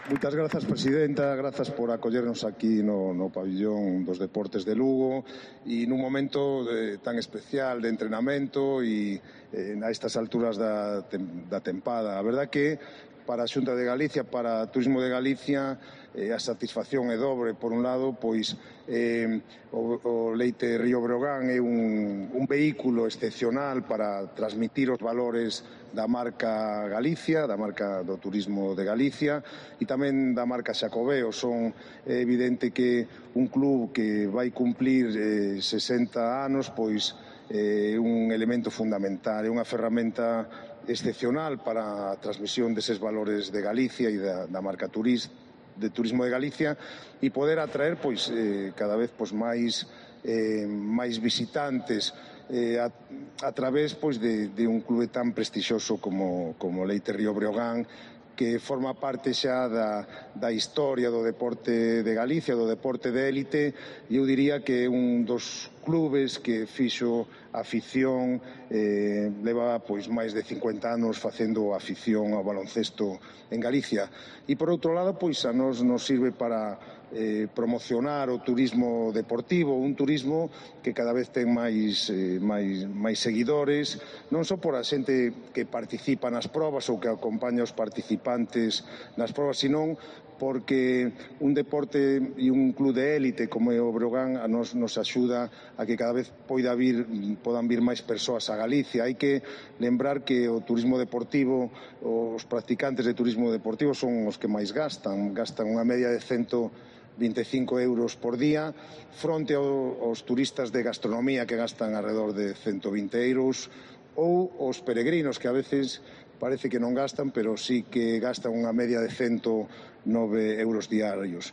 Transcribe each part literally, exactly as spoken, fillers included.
Moitas grazas, presidenta, grazas por acollernos aquí no, no pabillón dos deportes de Lugo e nun momento de, tan especial de entrenamento e eh, a estas alturas da, da tempada. A verdad que para a Xunta de Galicia, para o Turismo de Galicia, eh, a satisfacción é dobre. Por un lado, pois eh, o, o Leite Río Breogán é un, un vehículo excepcional para transmitir os valores da marca Galicia, da marca do turismo de Galicia e tamén da marca Xacobeo. Son é evidente que un club que vai cumplir eh, sesenta anos, pois é eh, un elemento fundamental, é unha ferramenta excepcional para a transmisión deses valores de Galicia e da, da marca turista de turismo de Galicia e poder atraer pois eh, cada vez pois máis eh, máis visitantes eh, a, a través pois de, de un clube tan prestixioso como, como Leite Río Breogán, que forma parte xa da, da historia do deporte de Galicia, do deporte de élite, e eu diría que é un dos clubes que fixo a afición, eh, leva pois máis de cincuenta anos facendo afición ao baloncesto en Galicia. E por outro lado, pois a nos nos sirve para eh, promocionar o turismo deportivo, un turismo que cada vez ten máis, eh, máis, máis seguidores, non só por a xente que participa nas probas ou que acompaña os participantes nas probas, senón porque un deporte e un club de élite como é o Breogán a nos, nos axuda a que cada vez poida vir, podan vir máis persoas a Galicia. Hai que lembrar que o turismo deportivo, os practicantes de turismo deportivo son os que máis gastan, gastan unha media de cento vinte e cinco euros por día, fronte aos turistas de gastronomía que gastan alrededor de cento vinte euros, ou os peregrinos que a veces parece que non gastan, pero sí que gastan unha media de cento nove euros diarios.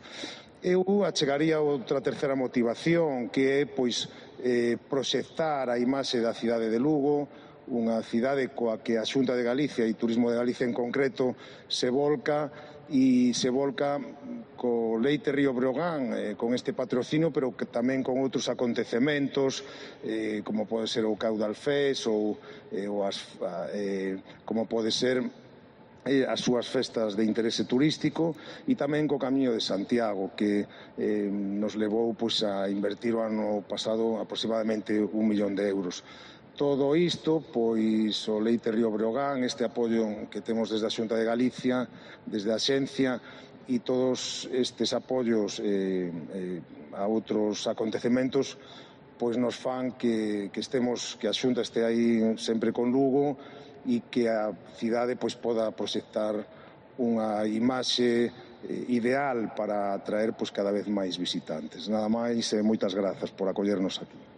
Eu achegaría outra terceira motivación, que é pois eh, proxectar a imaxe da cidade de Lugo, unha cidade coa que a Xunta de Galicia e Turismo de Galicia en concreto se volca e se volca co Leite Río Breogán, eh, con este patrocinio, pero que tamén con outros acontecementos, eh, como pode ser o Caudal Fest ou, eh, ou as, eh, como pode ser eh, as súas festas de interese turístico e tamén co Camiño de Santiago, que eh, nos levou pois, a invertir o ano pasado aproximadamente un millón de euros. Todo isto, pois o Leite Río Breogán, este apoio que temos desde a Xunta de Galicia, desde a Xencia, e todos estes apoios eh, eh, a outros acontecementos, pois nos fan que, que estemos, que a Xunta este aí sempre con Lugo e que a cidade pois poda proxectar unha imaxe ideal para atraer pois cada vez máis visitantes. Nada máis e moitas grazas por acollernos aquí.